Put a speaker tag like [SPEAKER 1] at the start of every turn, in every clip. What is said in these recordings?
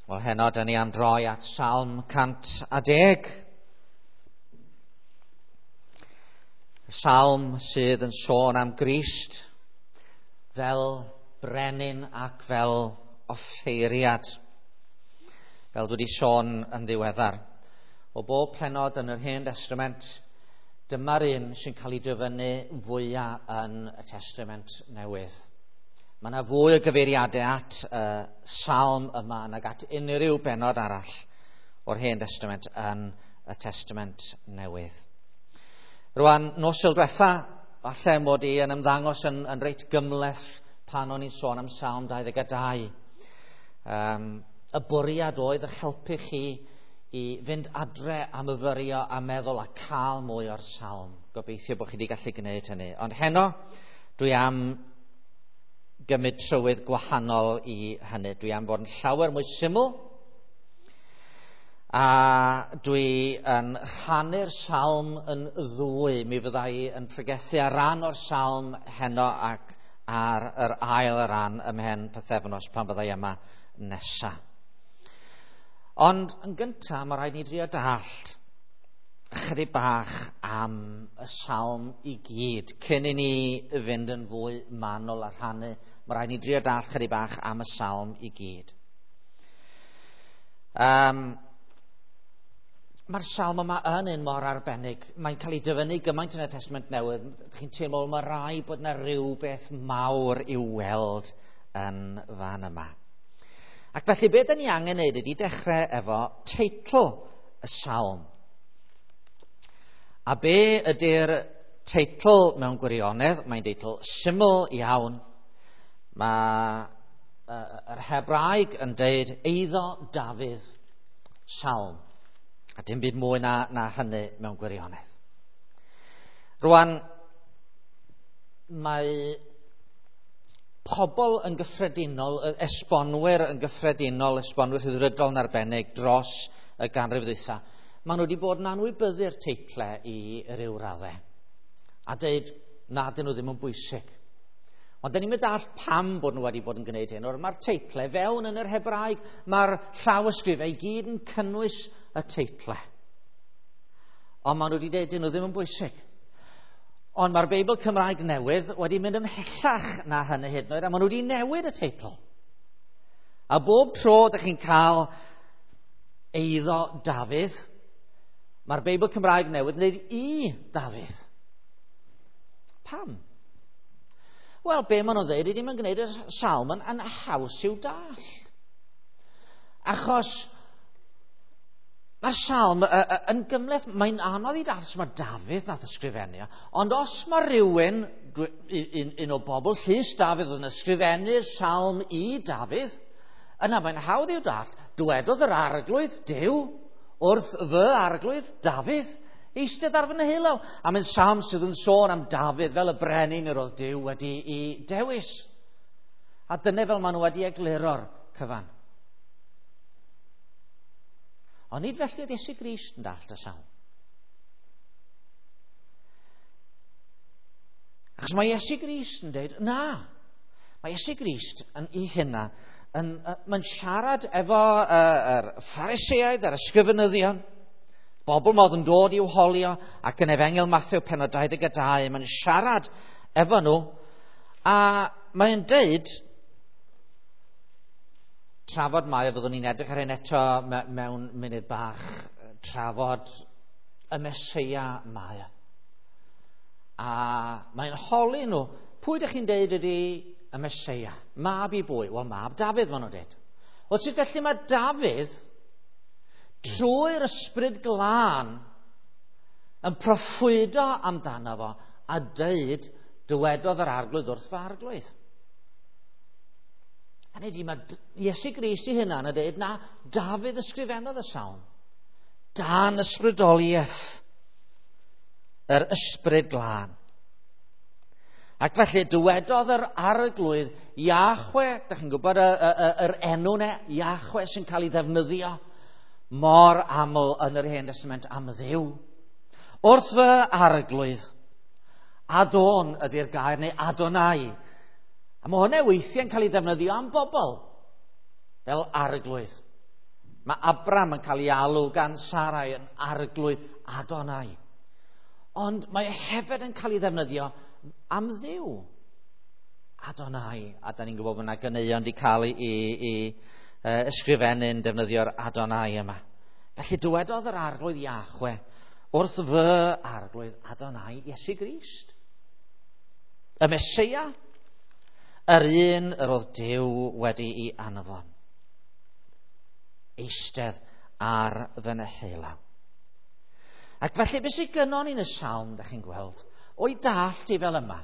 [SPEAKER 1] Wel, heno, dyn ni am droi at Salm 110. Y salm sydd yn sôn am Grist fel brenin ac fel offeiriad. Fel dwi wedi sôn yn ddiweddar. O bob pennod yn yr Hen Testament, dyma'r un sy'n cael ei dyfynnu fwyaf yn y Testament Newydd. Mae yna fwy o gyfeiriadau at y salm yma nag at unrhyw bennod arall o'r Hen Testament yn y Testament Newydd. Rwan, nos Sul diwetha, falle mod i yn ymddangos yn reit gymhleth pan o'n i'n sôn am Salm 22. Y bwriad oedd eich helpu chi i fynd adre a myfyrio a meddwl a cael mwy o'r salm. Gobeithio bod chi wedi gallu gwneud hynny. Ond heno, dwi am gymryd trywydd gwahanol i hynny. Dwi am fod yn llawer mwy syml, a dwi yn rhannu'r salm yn ddwy. Mi fydda i yn pregethu ar ran o'r salm heno ac ar yr ail ran ymhen pythefnos pan fydda i yma nesa. Ond yn gyntaf, mae rhaid ni drio dallt ychydig bach am y salm i gyd. Cyn i ni fynd yn fwy manwl a rhannu, mae rhaid ni drio dallt chydig bach am y salm i gyd. Mae'r salm yma yn un mor arbennig. Mae'n cael ei dyfynnu gymaint yn y Testament Newydd. Chi'n teimlo mae rai bod yna rhywbeth mawr i'w weld yn fan yma. Ac felly beth 'dan ni angen wneud ydy dechrau efo teitl y salm. A be ydy'r teitl mewn gwirionedd? Mae'n deitl syml iawn. Mae yr Hebraeg yn deud eiddo Dafydd Salm. A dim byd mwy na hynny mewn gwirionedd. Rwan, mae pobl yn gyffredinol, esbonwyr yn gyffredinol, esbonwyr rhyddfrydol yn arbennig dros y ganrif ddwytha, maen nhw wedi bod yn anwybyddu'r teitlau i ryw raddau a dweud na dyn nhw ddim yn bwysig. Ond dyn ni'n mynd all pam bod nhw wedi bod yn gwneud hyn. Mae'r teitlau fewn yn yr Hebraeg, mae'r llawysgrifau i gyd yn cynnwys y teitlau. Ond maen nhw wedi dweud dyn nhw ddim yn bwysig. Ond mae'r Beibl Cymraeg Newydd wedi mynd ymhellach na hynny hyd yn oed, a maen nhw wedi newid y teitl. A bob tro ydych chi'n cael eiddo Dafydd, mae'r Beibl Cymraeg Newydd yn dweud i Dafydd. Pam? Wel, be maen nhw'n dweud ydy mae'n gwneud y salm yn haws i'w dallt. Achos mae'r salm yn gymhleth, mae'n anodd i dallt, mae Dafydd nath ysgrifennu, ond os mae rhywun, un o bobl llys Dafydd yn ysgrifennu'r salm i Dafydd, yna mae'n hawdd i'w dallt, dywedodd yr arglwydd Duw wrth fy arglwydd Dafydd, eistedd ar fy nheulaw. A mae'n salm sydd yn sôn am Dafydd fel y brenin yr oedd Duw wedi ei dewis. A dyna fel maen nhw wedi egluro'r cyfan. Ond nid felly oedd Iesu Grist yn dallt y salm. Achos mae Iesu Grist yn dweud, na, mae Iesu Grist yn ei hunan, mae'n siarad efo yr Phariseaid a'r ysgrifenyddion, bobl modd yn dod i'w holio, ac yn Efengyl Mathew pennod 22, mae'n siarad efo nhw, a mae'n deud, trafod mae, fyddwn ni'n edrych ar hyn eto mewn munud bach, trafod y Meseia mae. A mae'n holi nhw, pwy ydych chi'n deud ydy y Meseia? Mab i bwy? Wel, mab Dafydd, maen nhw'n deud. Wel, sut felly mae Dafydd, trwy'r ysbryd glân, yn proffwydo amdano fo a deud, dywedodd yr arglwydd wrth fy arglwydd. Hynny ydy, mae Iesu Grist ei hunan yn dweud, na, Dafydd ysgrifennodd y salm. Dan ysbrydoliaeth yr ysbryd glân. Ac felly, dywedodd yr arglwydd Iachwe, dych chi'n gwybod yr enw ne, Iachwe sy'n cael ei ddefnyddio mor aml yn yr Hen Testament am Dduw. Wrth fy arglwydd, Adon ydy'r gair, neu Adonai. A mae hwnna weithiau'n cael ei ddefnyddio am bobl, fel arglwydd. Mae Abram yn cael ei alw gan Sarai yn arglwydd Adonai. Ond mae e hefyd yn cael ei ddefnyddio am Dduw. Adonai. A da ni'n gwybod bod yna ganeuon wedi cael ei ysgrifennu'n defnyddio'r Adonai yma. Felly dywedodd yr arglwydd Iachwe wrth fy arglwydd Adonai Iesu Grist. Y Meseia, yr un yr oedd Duw wedi'i anfon. Eistedd ar fy neheullaw. Ac felly beth sydd gynnon ni'n y salm, da chi'n gweld, o'i dallt i fel yma,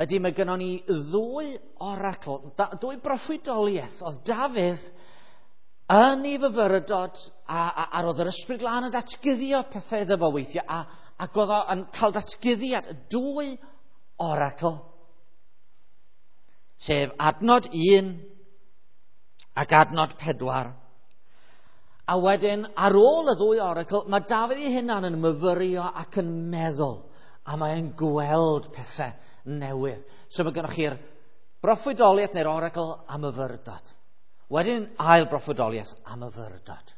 [SPEAKER 1] ydy mae gynnon ni ddwy oracl, dwy broffwydoliaeth. Oedd Dafydd yn ei fyfyrdod a roedd yr Ysbryd Glân yn datguddio pethau iddo fo weithiau, ac oedd o yn cael datguddiad, dwy oracl, sef adnod 1 ac adnod 4. A wedyn, ar ôl y ddwy oracl, mae Dafydd ei hunan yn myfyrio ac yn meddwl, a mae'n gweld pethau newydd. So mae gennych chi'r broffwydoliaeth neu'r oracl a myfyrdod. Wedyn ail broffwydoliaeth a myfyrdod.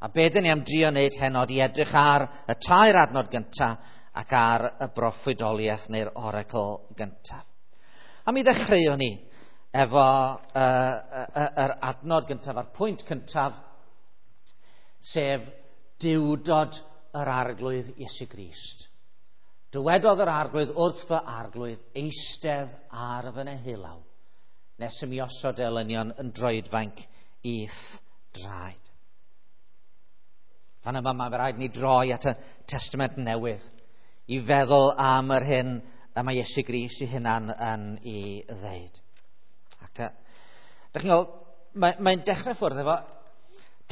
[SPEAKER 1] A be dyn ni am drio wneud heno i edrych ar y tair adnod gyntaf ac ar y broffwydoliaeth neu'r oracl gyntaf. A mi ddechreuwn ni efo yr adnod gyntaf a'r pwynt cyntaf, sef duwdod yr arglwydd Iesu Grist. Dywedodd yr arglwydd wrth fy arglwydd, eistedd ar fy neheullaw, nes i mi osod elynion yn droedfainc i'th draed. Fan yma mae rhaid ni droi at y Testament Newydd i feddwl am yr hyn y mae Iesu Grist ei hunan yn ei ddeud. Ac, dych chi'n gweld, mae'n dechrau ffwrdd efo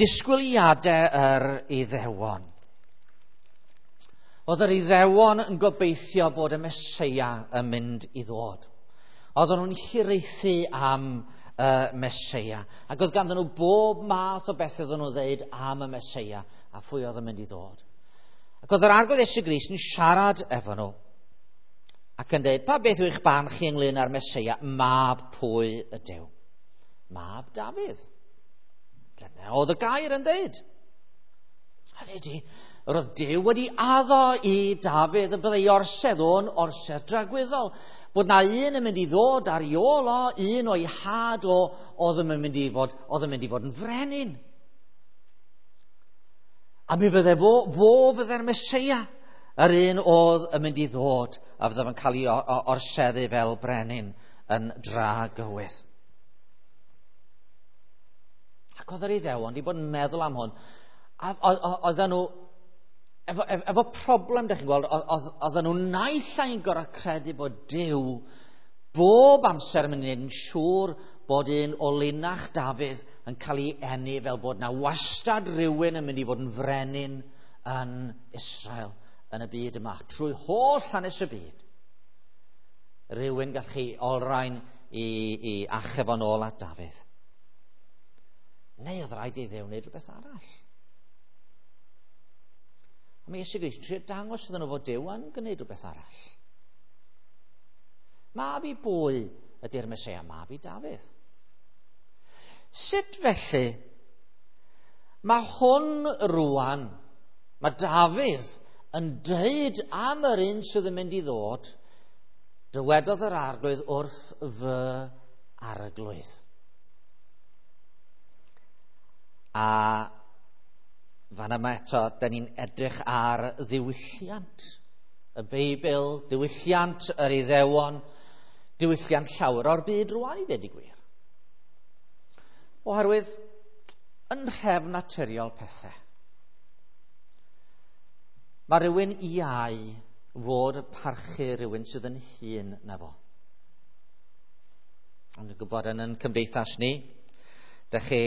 [SPEAKER 1] disgwyliadau yr Iddewon. Oedd yr Iddewon yn gobeithio bod y Meseia yn mynd i ddod. Oedden nhw'n hiraethu am y Meseia. Ac oedd ganddyn nhw bob math o beth oedden nhw'n ddeud am y Meseia a phwy oedd yn mynd i ddod. Ac oedd yr Arglwydd Iesu Grist yn siarad efo nhw ac yn dweud, pa beth yw eich barn chi ynglyn â'r Meseia? Mab pwy ydyw? Mab Dafydd. Dyna oedd y gair yn dweud. Hynny ydy, yr oedd Duw wedi addo i Dafydd y byddai orsedd o'n orsedd dragwyddol. Bod na un yn mynd i ddod ar ei ôl o, un o'i had o, oedd yn mynd i fod, oedd yn mynd i fod yn frenin. A mi fydde fo fydde'r Meseia, yr un oedd yn mynd i ddod a fydde fo'n cael ei orseddu fel brenin yn dragywydd. Ac oedd yr Iddewon wedi bod yn meddwl am hwn. A oedden nhw, efo problem, dych chi'n gweld, oedden nhw naill ai'n gorfod credu bod Duw bob amser yn mynd i wneud yn siŵr bod un o linach Dafydd yn cael ei eni fel bod na wastad rhywun yn mynd i fod yn frenin yn Israel yn y byd yma, trwy holl hanes y byd. Rhywun gall chi olrhain i achub o'n ôl at Dafydd. Neu oedd rhaid i Dduw wneud rhywbeth arall. A mae Iesu Grist yn trio dangos iddyn nhw fod Duw yn gwneud rhywbeth arall. Mab i bwy ydy'r Meseia? Mab i Dafydd. Sut felly mae hwn rwan, mae Dafydd yn dweud am yr un sydd yn mynd i ddod, dywedodd yr arglwydd wrth fy arglwydd. A fan yma eto, da ni'n edrych ar ddiwylliant y Beibl, diwylliant yr Iddewon, diwylliant llawer o'r byd rwan i ddweud y gwir. Oherwydd, yn nhrefn naturiol pethau, mae rhywun iau fod y parchu rhywun sydd yn hŷn na fo. Ond dwi'n gwybod yn ein cymdeithas ni, dych chi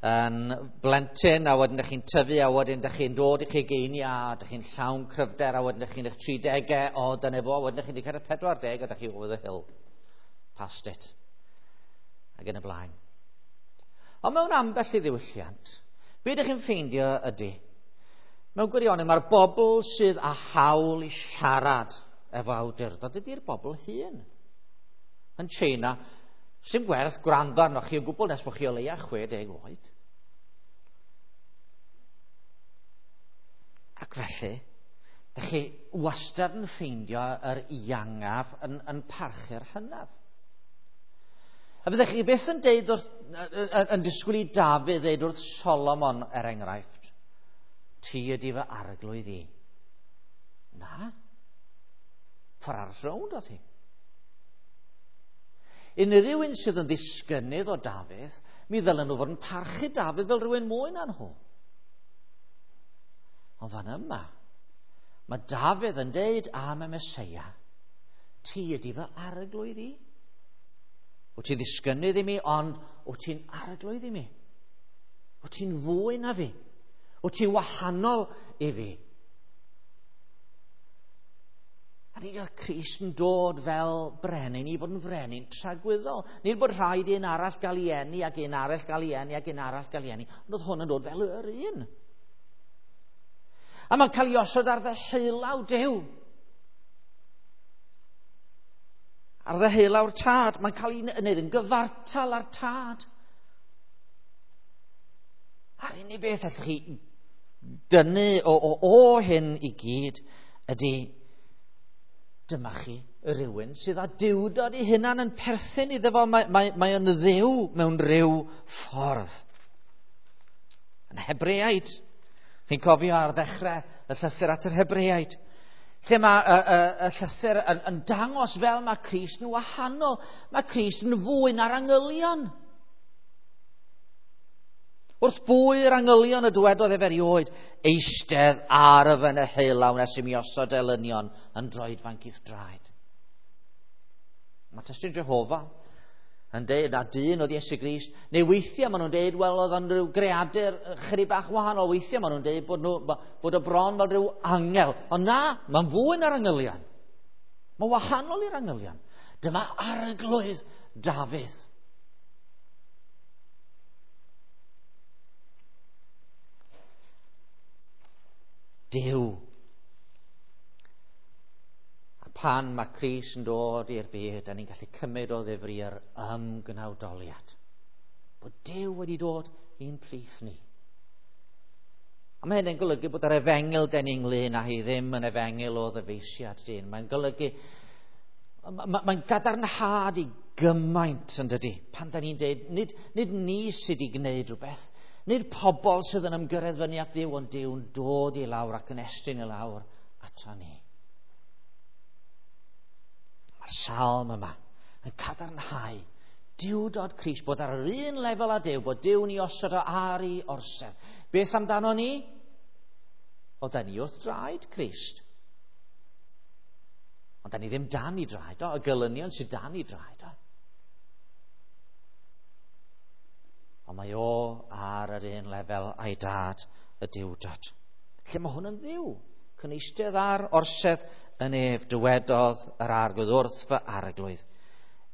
[SPEAKER 1] yn blentyn, a wedyn dych chi'n tyfu, a wedyn dych chi'n dod i'ch ugeiniau, a dych chi'n llawn cryfder, a wedyn dych chi'n eich 30au, o dyna fo, a wedyn dych chi'n cyrraedd 40, a dych chi over the hill, past it, ac yn y blaen. Ond mewn ambell i ddiwylliant, be ydych chi'n ffeindio ydy, mewn gwirionedd mae'r bobl sydd â hawl i siarad efo awdurdod ydy'r bobl hŷn. Yn China, Sdim gwerth gwrando arnoch chi o gwbl nes bod chi o leia 60 oed. Ac felly, dych chi wastad yn ffeindio yr iangaf yn parchu'r hynaf. A fyddech chi byth yn deud wrth, yn disgwyl i Dafydd ddeud wrth Solomon, er enghraifft, ti ydi fy arglwydd i. Na. Ffordd arall rownd oedd hi. Unrhyw un sydd yn ddisgynnydd o Dafydd, mi ddylen nhw fod yn parchu Dafydd fel rhywun mwy na nhw. Ond fan yma, mae Dafydd yn deud am y Meseia, ti ydi fy arglwydd i. Wyt ti'n ddisgynnydd i mi, ond wyt ti'n arglwydd i mi. Wyt ti'n fwy na fi. Wyt ti'n wahanol i fi. A nid oedd Crist yn dod fel brenin i fod yn frenin tragwyddol. Nid bod rhaid un arall gael ei eni ac un arall gael ei eni ac un arall gael ei eni. Ond oedd hwn yn dod fel yr un. A mae'n cael ei osod ar ddeheulaw Duw. Ar ddeheulaw'r tad. Mae'n cael ei wneud yn gyfartal â'r tad. A'r unig beth allwch chi dynnu o hyn i gyd ydy dyma chi rhywun sydd â duwdod ei hunan yn perthyn iddo fo. Mae yn dduw mewn rhyw ffordd. Yn Hebreaid, chi'n cofio ar ddechrau y llythyr at yr Hebreaid, lle mae y llythyr yn dangos fel mae Crist yn wahanol. Mae Crist yn fwy na'r angylion. Wrth bwy'r angylion y dywedodd ef erioed, eistedd ar y fy neheulaw nes i mi osod elynion yn droedfanc i'th draed. Mae testun Jehofa yn deud na dyn oedd Iesu Grist, neu weithiau maen nhw'n deud, wel, oedd o'n rhyw greadur chydig bach wahanol, weithiau maen nhw'n deud bod o bron fel rhyw angel. Ond na, mae'n fwy na'r angylion. Mae'n wahanol i'r angylion. Dyma arglwydd Dafydd. Duw. A pan mae Crist yn dod i'r byd, da ni'n gallu cymryd o ddifri yr ymgnawdoliad. Bod Duw wedi dod i'n plith ni. A mae hynny'n golygu bod yr efengyl den ni ynglyn â hi ddim yn efengyl o ddyfeisiad dyn. Mae'n golygu, mae'n gadarnhad i gymaint yn dydy. Pan da ni'n deud, nid ni sydd wedi gwneud rhywbeth, nid pobl sydd yn ymgyrraedd fyny at Dduw, ond Duw'n dod i lawr ac yn estyn i lawr ato ni. Mae'r salm yma yn cadarnhau duwdod Crist, bod ar yr un lefel â Duw, bod Duw'n ei osod o ar ei orsedd. Beth amdano ni? O, da ni wrth draed Crist. Ond da ni ddim dan i draed o, y gelynion sydd dan i draed o. Ond mae o ar yr un lefel a'i dad y duwdod. Lle mae hwn yn ddiw, cyneistedd ar orsedd yn ef, dywedodd yr arglwydd wrth fy arglwydd.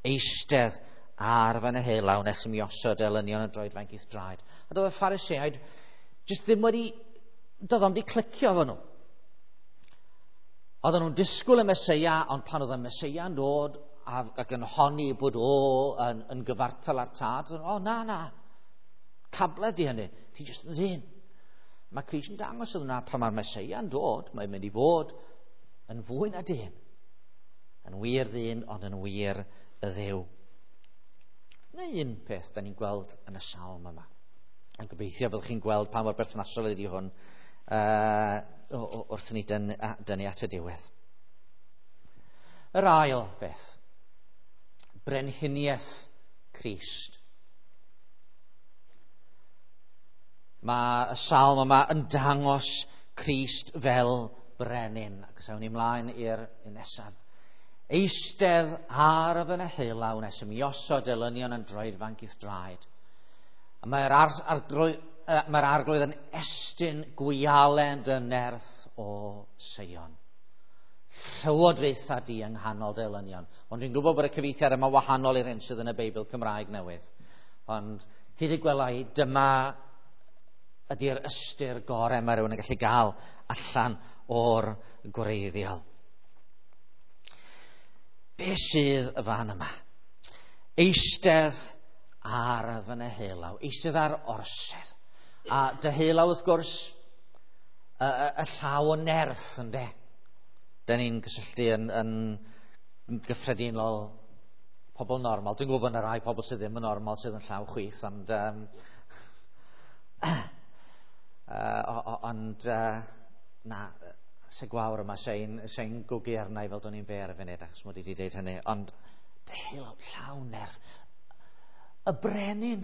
[SPEAKER 1] Eistedd ar fy neheulaw nes i mi osod elynion yn droedfainc i'th draed. A doedd y Phariseaid jyst ddim wedi, doedd o'm wedi clicio efo nhw. Oedden nhw'n disgwyl y Meseia, ond pan oedd y Meseia yn dod ac yn honni bod o yn gyfartal â'r tad, oedden nhw, o na, na, cabledd di hynny, ti jyst yn ddyn. Mae Crist yn dangos iddyn nhw pan mae'r Meseia yn dod, mae'n mynd i fod yn fwy na dyn. Yn wir ddyn, ond yn wir y Dduw. Neu un peth da ni'n gweld yn y salm yma. A gobeithio byddwch chi'n gweld pa mor berthnasol ydy hwn wrth ni dynnu at y diwedd. Yr ail beth, brenhiniaeth Crist. Mae y salm yma yn dangos Crist fel brenin. Ac os awn ni mlaen i'r nesaf. Eistedd ar y fy neheulaw nes i mi osod elynion yn droedfanc i'th draed. A mae'r arglwydd yn estyn gwialen dy nerth o Seion. Llywodraetha di yng nghanol dy elynion. Ond dwi'n gwybod bod y cyfieithiad yma wahanol i'r hyn sydd yn y Beibl Cymraeg newydd. Ond hyd y gwela i, dyma ydy'r ystyr gorau mae rhywun yn gallu gael allan o'r gwreiddiol. Be sydd y fan yma? Eistedd ar fy neheulaw, eistedd ar orsedd. A deheulaw, wrth gwrs, y llaw o nerth, ynde? Da ni'n gysylltu yn gyffredinol pobl normal. Dwi'n gwybod bod yna rai pobl sydd ddim yn normal sydd yn llaw chwith, ond na, se gwawr yma, sein gwgu arna i fel do'n i'n be ar y funud, achos mod i wedi dweud hynny, ond deheulaw, llaw nerth, y brenin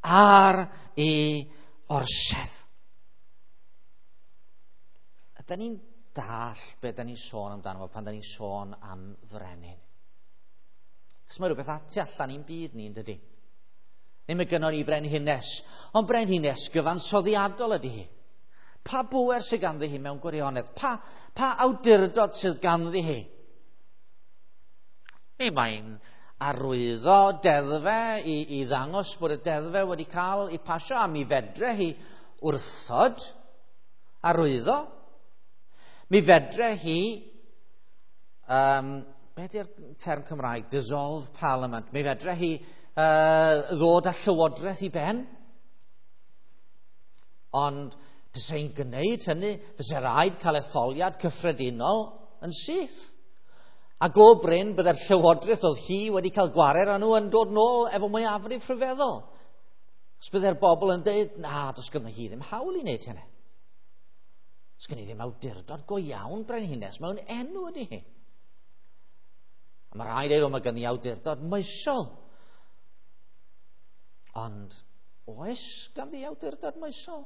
[SPEAKER 1] ar ei orsedd. Ydy ni'n dall be da ni'n sôn amdano fo pan da ni'n sôn am frenin? Chos mae rhywbeth ati allan i'n byd ni, yn dydy? Neu mae gynnon ni frenhines, ond brenhines gyfansoddiadol ydy hi. Pa bŵer sydd ganddi hi mewn gwirionedd? Pa awdurdod sydd ganddi hi? Neu mae'n arwyddo deddfe i ddangos bod y deddfe wedi cael ei pasio, a mi fedre hi wrthod arwyddo. Mi fedre hi, be di'r term Cymraeg? Dissolve Parliament. Mi fedre hi ddod â llywodraeth i ben. Ond fysa hi'n gwneud hynny, fysa rhaid cael etholiad cyffredinol yn syth. A go brin bydde'r llywodraeth oedd hi wedi cael gwared â nhw yn dod nôl efo mwyafrif rhyfeddol. Os bydde'r bobl yn dweud, na, does gynno hi ddim hawl i wneud hynny. Does gynno hi ddim awdurdod go iawn brenhines, mewn enw ydy hi. A mae rhaid dweud, mae gynni awdurdod moesol. Ond oes ganddi awdurdod moesol?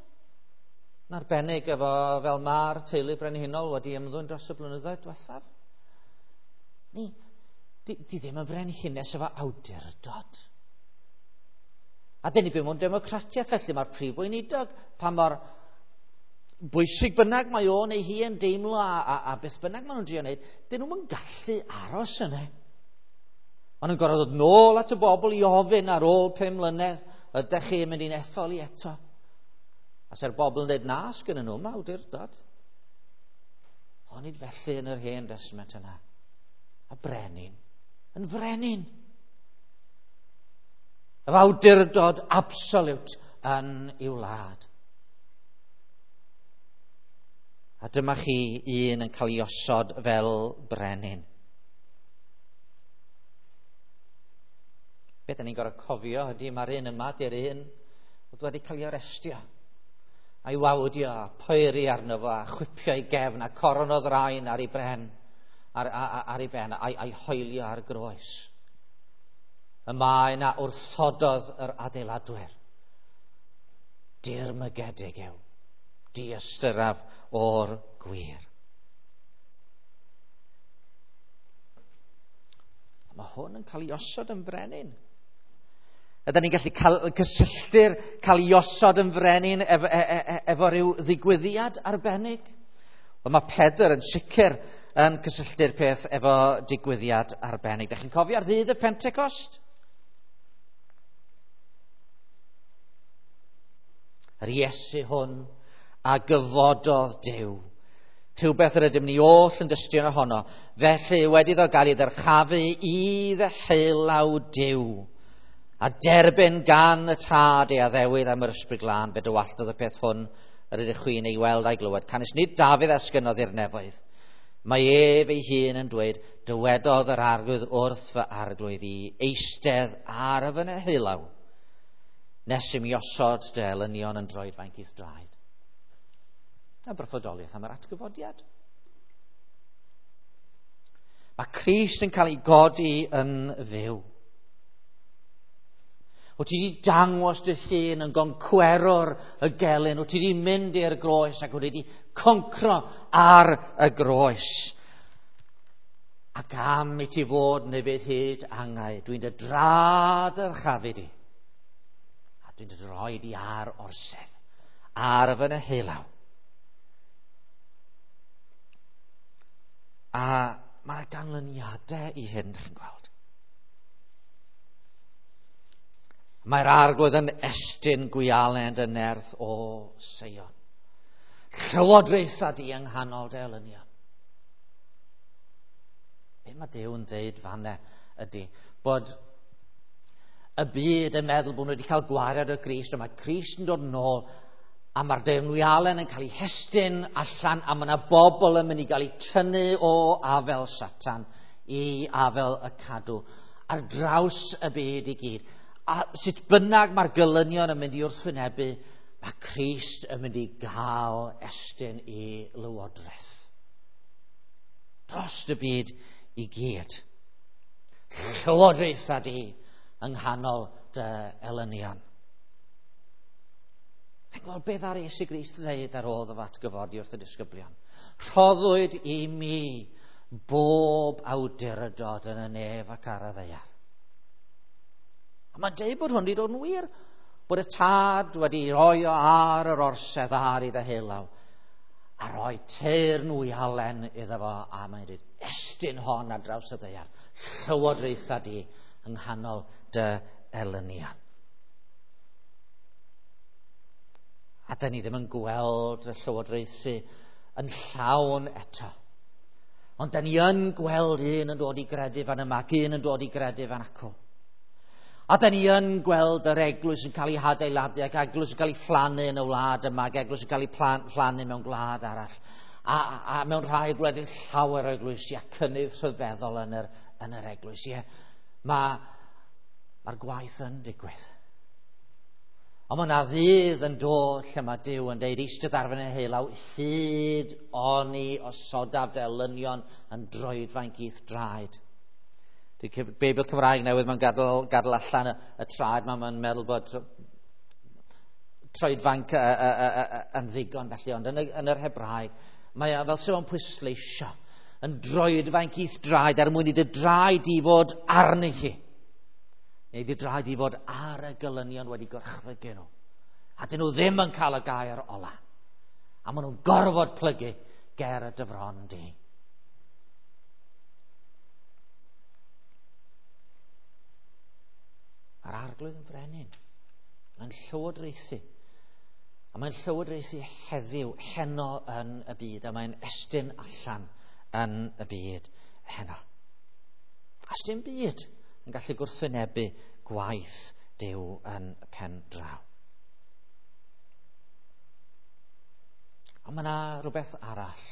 [SPEAKER 1] Yn arbennig efo fel mae'r teulu brenhinol wedi ymddwyn dros y blynyddoedd diwethaf. Ni, di ddim yn frenhines efo awdurdod. A dyn ni byw mewn democratiaeth, felly mae'r prif weinidog, pa mor bwysig bynnag mae o neu hi yn deimlo a beth bynnag maen nhw'n drio wneud, dyn nhw'n gallu aros yna. Maen nhw'n gorfod dod nôl at y bobl i ofyn ar ôl 5 mlynedd, ydych chi'n mynd i'n ethol i eto? A se'r bobl yn dweud na, sgynnon nhw ddim awdurdod. Onid felly yn yr Hen Destament yna. A brenin yn frenin. Yr awdurdod absolute yn i'w wlad. A dyma chi un yn cael ei osod fel brenin. Be da ni'n gorfod cofio ydy mae'r un yma di'r un oedd wedi cael ei arestio, a'i wawdio, a poeri arno fo, a chwipio ei gefn, a coron o ddraen ar ei bren, ar ei ben, a'i hoelio ar groes. Y maen a wrthododd yr adeiladwyr. Dirmygedig yw, diystyraf o'r gwir. Mae hwn yn cael ei osod yn frenin. Ydyn ni'n gallu cysylltu'r cael ei osod yn frenin efo rhyw ddigwyddiad arbennig? Wel, mae Pedr yn sicr yn cysylltu'r peth efo digwyddiad arbennig. Dach chi'n cofio ar ddydd y Pentecost? Yr Iesu hwn a gyfododd Duw. Rhywbeth yr ydym ni oll yn dystion ohono. Felly wedi iddo gael ei ddyrchafu i ddeheulaw Duw a derbyn gan y Tad ei addewid am yr Ysbryd Glân, fe dywalltodd y peth hwn yr ydych chwi'n ei weld a'i glywed. Canys nid Dafydd a esgynnodd i'r nefoedd. Mae ef ei hun yn dweud, dywedodd yr Arglwydd wrth fy Arglwydd i eistedd ar y fy neheulaw, nes i mi osod dy elynion yn droedfainc i'th draed. A broffwydoliaeth am yr atgyfodiad. Mae Crist yn cael ei godi yn fyw. Wyt ti wedi dangos dy hun yn goncwerwr y gelyn. Wyt ti wedi mynd i'r groes ac wyt ti wedi concro ar y groes. Ac am i ti fod neu fydd hyd angau, dwi'n dy draddyrchafu di. A dwi'n dy droi di ar orsedd, ar fy neheulaw. A mae yna ganlyniadau i hyn, dych chi'n gweld. Mae'r Arglwydd yn estyn gwialen dy nerth o Seion. Llywodraetha di yng nghanol dy elynion. Be mae Duw yn dweud fanna ydy bod y byd yn meddwl bod nhw wedi cael gwared o Grist, ond mae Crist yn dod nôl, a mae'r deyrnwialen yn cael ei hestyn allan, a mae yna bobl yn mynd i gael eu tynnu o afel Satan i afel y cadw, ar draws y byd i gyd. A sut bynnag mae'r gelynion yn mynd i wrthwynebu, mae Crist yn mynd i gael estyn i lywodraeth. Dros y byd i gyd. Llywodraetha di yng nghanol dy elynion. Mae'n gweld beth ar Iesu Grist ddeud ar ôl iddo fo atgyfodi wrth y disgyblion. Rhoddwyd i mi bob awdurdod yn y nef ac ar y ddaear. A mae'n deud bod hwn wedi dod yn wir, bod y tad wedi rhoi o ar yr orsedd ar ei ddeheulaw, a rhoi teyrn wialen iddo fo, a mae'n dweud, estyn hon ar draws y ddaear, llywodraetha di yng nghanol dy elynion. A da ni ddim yn gweld y llywodraethu yn llawn eto. Ond da ni yn gweld un yn dod i gredu fan yma ac un yn dod i gredu fan acw. A da ni yn gweld yr eglwys yn cael ei hadeiladu ac eglwys yn cael ei phlannu yn y wlad yma ac eglwys yn cael ei phlannu mewn gwlad arall. A mewn rhai gwledydd llawer o eglwysi a cynnydd rhyfeddol yn yr eglwys. Ie, mae'r gwaith yn digwydd. Ond mae yna ddydd yn dod lle mae Duw yn deud, eistedd ar fy nheulaw, hyd oni osodaf dy elynion yn droedfainc i'th draed. Dydy Beibl Cymraeg newydd, mae'n gadael allan y traed, mae'n meddwl bod troedfainc yn ddigon felly, ond yn yr Hebraeg, mae fel sydd o'n pwysleisio yn droedfainc i'th draed er mwyn i dy draed i fod arni hi. Neu dy draed i fod ar y gelynion wedi gorchfygu nhw. A dyn nhw ddim yn cael y gair ola. A maen nhw'n gorfod plygu ger y dyfron di. Mae'r arglwydd yn frenin. Mae'n llywodraethu. A mae'n llywodraethu heddiw, heno yn y byd. A mae'n estyn allan yn y byd heno. A sdim byd yn gallu gwrthwynebu gwaith Duw yn y pen draw. Ond mae yna rhywbeth arall.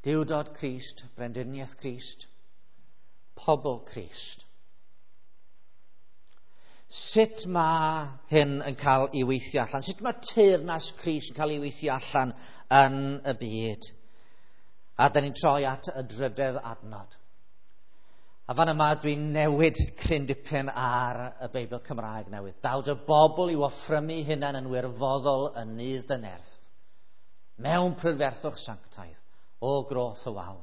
[SPEAKER 1] Duwdod Crist, brendiniaeth Crist, pobl Crist. Sut mae hyn yn cael ei weithio allan? Sut mae teyrnas Crist yn cael ei weithio allan yn y byd? A da ni'n troi at y drydedd adnod. A fan yma dwi'n newid cryn dipyn ar y Beibl Cymraeg newydd. Daw dy bobl i'w offrymu hunain yn wirfoddol yn nydd dy nerth, mewn prydferthwch sanctaidd, o groth y wawr.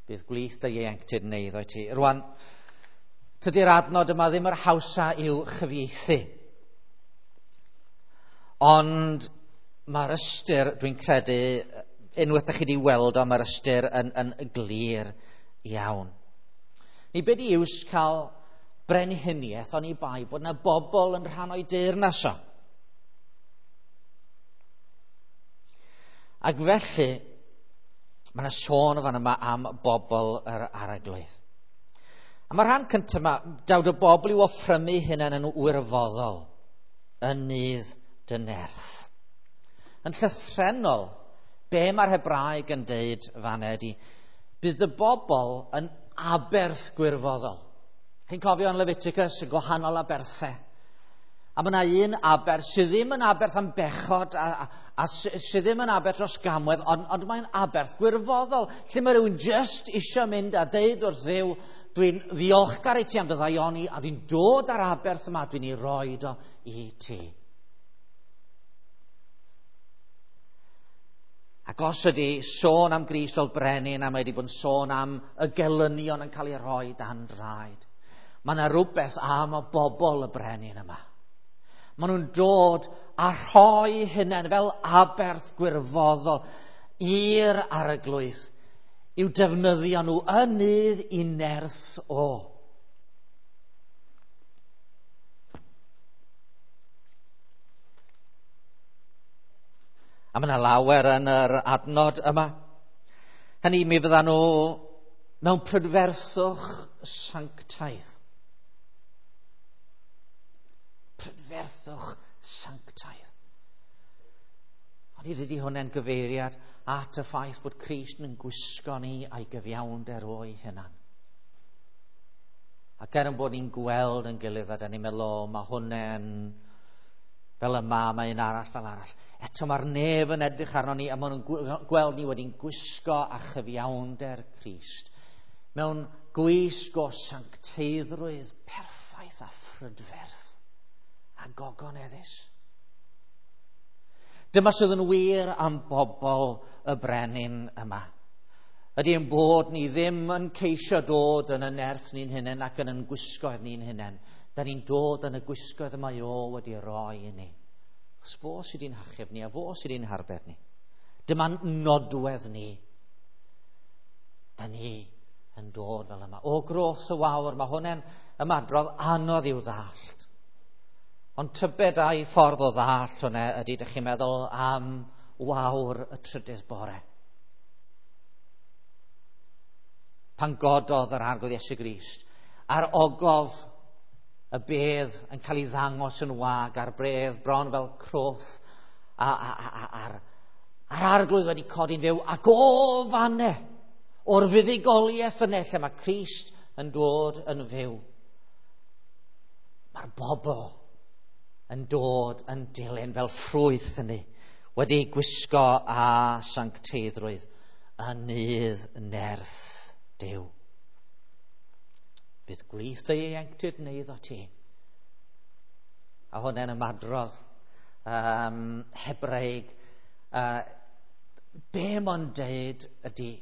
[SPEAKER 1] Bydd gwlith dy ieuenctid yn eiddo i ti. Rwan, tydi'r adnod yma ddim yr hawsa i'w chyfieithu. Ond mae'r ystyr, dwi'n credu, unwaith ydych chi wedi weld o, mae'r ystyr yn glir iawn. Ni be di iws cael brenhiniaeth oni bai bod yna bobl yn rhan o'i deyrnas o. Ac felly, mae yna sôn o fan yma am bobl yr arglwydd. A mae'r rhan cyntaf yma, dawd y bobl i'w offrymu hunain yn wirfoddol yn nydd dy nerth. Yn llythrennol, be mae'r Hebraeg yn deud fan ydy, bydd y bobl yn aberth gwirfoddol. Chi'n cofio yn Leviticus y gwahanol aberthau. A mae yna un aberth sydd ddim yn aberth am bechod a sydd ddim yn aberth dros gamwedd, ond mae'n aberth gwirfoddol, lle mae rhywun just eisiau mynd a deud wrth Dduw, dwi'n ddiolchgar i ti am dy ddaioni a dwi'n dod ar aberth yma, dwi'n ei roed o i ti. Ac os ydy sôn am Grist fel brenin, a mae wedi bod yn sôn am y gelynion yn cael ei rhoi dan draed, mae yna rhywbeth am y bobl y brenin yma. Maen nhw'n dod a rhoi hunain fel aberth gwirfoddol i'r arglwydd i'w defnyddio nhw yn nydd i nerth o. A mae yna lawer yn yr adnod yma. Hynny, mi fyddan nhw Mewn prydferthwch sanctaidd. Prydferthwch sanctaidd. Ond i dydy hwnna'n gyfeiriad at y ffaith bod Crist yn gwisgo ni a'i gyfiawnder o'i hunan. Ac er yn bod ni'n gweld yn gilydd a da ni'n meddwl, o, mae hwnna'n fel yma, mae un arall fel arall. Eto mae'r nef yn edrych arno ni a maen nhw'n gweld ni wedi'n gwisgo â chyfiawnder Crist. Mewn gwisg o sancteiddrwydd perffaith a phrydferth a gogoneddus. Dyma sydd yn wir am bobl y brenin yma. Ydy ein bod ni ddim yn ceisio dod yn y nerth ni'n hunain ac yn yn gwisgoedd ni'n hunain. Da ni'n dod yn y gwisgoedd y mae o wedi roi i ni. Achos fo sydd wedi'n hachub ni a fo sydd wedi'n harbed ni. Dyma'n nodwedd ni. Da ni yn dod fel yma. O groth y wawr, mae hwnna'n ymadrodd anodd i'w ddallt. Ond tybed a'i ffordd o ddallt hwnna ydy, dych chi'n meddwl am wawr y trydydd bore. Pan gododd yr Arglwydd Iesu Grist a'r ogof y bedd yn cael ei ddangos yn wag a'r bredd bron fel croth a'r Arglwydd wedi codi'n fyw ac o fanne o'r fuddugoliaeth yna lle mae Crist yn dod yn fyw. Mae'r bobl yn dod yn dilyn fel ffrwyth hynny, wedi gwisgo â sancteiddrwydd yn nydd nerth Duw. Bydd gwlith dy ieuenctid yn eiddo ti. A hwnna'n ymadrodd Hebraeg. Be mae'n deud ydy,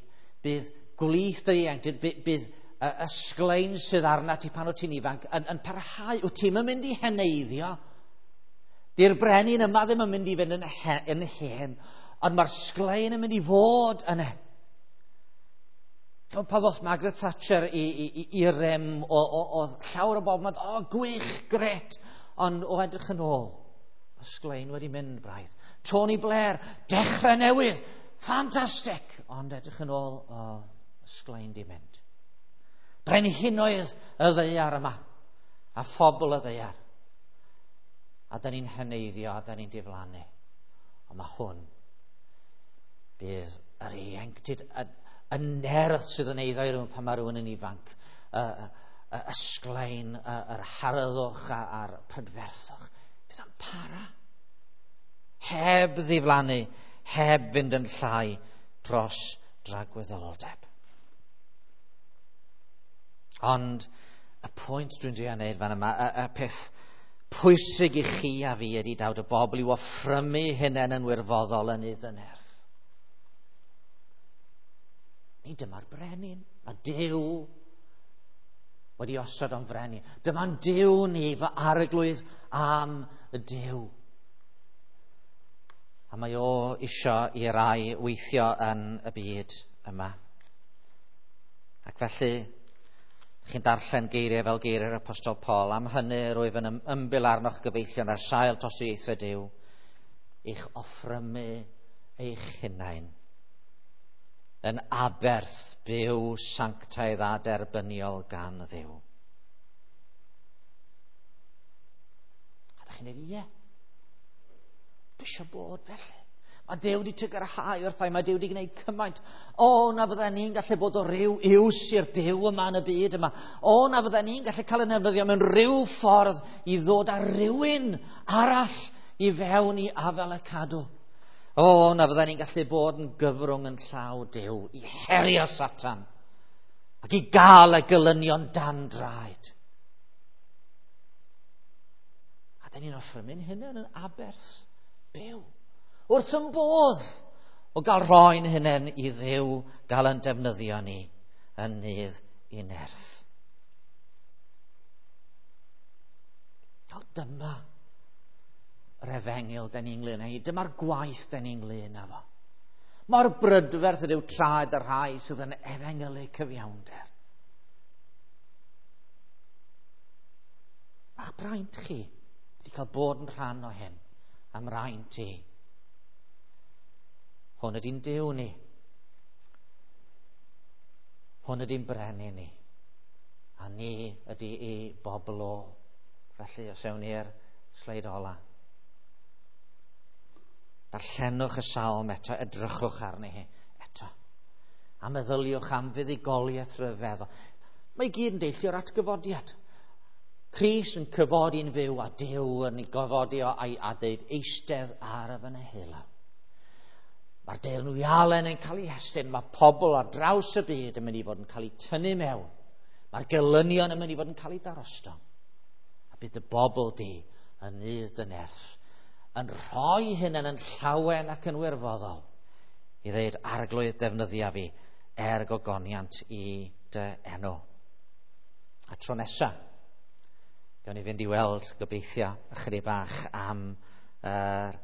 [SPEAKER 1] bydd gwlith dy ieuenctid, bydd y sglein sydd arna ti pan wyt ti'n ifanc yn parhau. Wyt ti'n mynd i heneiddio. Di'r brenin yma ddim yn mynd i fynd yn hen, ond mae'r sglein yn mynd i fod yna. Pan ddoth Margaret Thatcher i rym, oedd llawer o bobl yn meddwl, o, gwych, gret, ond o edrych yn ôl, mae sglein wedi mynd braidd. Tony Blair, dechrau newydd, ffantastig, ond edrych yn ôl, o, sglein di mynd. Brenhinoedd y ddaear yma, a phobl y ddaear. A da ni'n heneiddio, a da ni'n diflannu. Ond mae hwn, bydd yr ieuenctid, y nerth sydd yn eiddo i rhywun pan mae rhywun yn ifanc, y sglein, yr harddwch a'r prydferthwch, bydd o'n para. Heb ddiflannu, heb fynd yn llai dros dragwyddoldeb. Ond y pwynt dwi'n drio wneud fan yma, y peth pwysig i chi a fi ydy dawd y bobl i'w offrymu hunain yn wirfoddol yn iddyn nerth. Ni dyma'r brenin. Mae Duw wedi osod o'n frenin. Dyma'n Duw ni, fy arglwydd am y Duw. A mae o isio i rai weithio yn y byd yma. Ac felly, chi'n darllen geiriau fel geiriau'r Apostol Paul. Am hynny, rwyf yn ymbil arnoch gyfeillion ar sail tosturiaethau Duw, i'ch offrymu eich hunain yn aberth byw sanctaidd a derbyniol gan Dduw. A dych chi'n dweud, ie, dwi eisiau bod felly. Mae Duw wedi trugarhau wrtha i, mae Duw wedi gwneud cymaint. O, na fydden ni'n gallu bod o ryw iws i'r Duw yma yn y byd yma. O, na fydden ni'n gallu cael yn defnyddio mewn ryw ffordd i ddod â rhywun arall i fewn i afel y cadw. O, na fydden ni'n gallu bod yn gyfrwng yn llaw Duw i herio Satan ac i gael y gelynion dan draed. A dyn ni'n offrymu'n hunain yn aberth byw. Wrth yn bodd o gael rhoi'n hunain i Dduw gael yn defnyddio ni yn nydd i nerth. O, dyma yr efengyl den ni'n ynglyn â hi. Dyma'r gwaith den ni'n ynglyn â fo. Mor brydferth ydyw traed y rhai sydd yn efengylu cyfiawnder. Mae'ch braint chi wedi cael bod yn rhan o hyn am raint i. Hwn ydy'n Duw ni. Hwn ydy'n brenin ni. A ni ydy ei bobl o. Felly, os ewn ni'r sleid ola. Darllenwch y salm eto, edrychwch arni hi eto. A meddyliwch am fuddugoliaeth rhyfeddol. Mae i gyd yn deillio'r atgyfodiad. Crist yn cyfodi'n fyw a Duw yn ei gyfodi o a'i a deud eistedd ar y fy neheulo. Mae'r deyrnwialen yn cael ei hestyn, mae pobl ar draws y byd yn mynd i fod yn cael eu tynnu mewn. Mae'r gelynion yn mynd i fod yn cael eu darostwng. A bydd y bobl di yn nydd dy nerth yn rhoi hyn yn llawen ac yn wirfoddol i ddeud arglwydd defnyddia fi er gogoniant i dy enw. A tro nesa, gawn ni fynd i weld gobeithio ychydig bach am yr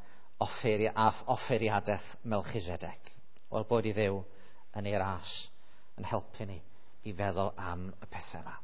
[SPEAKER 1] offeiriadaeth Melchizedek. Wel, bod i Dduw yn ei ras yn helpu ni i feddwl am y pethau yma.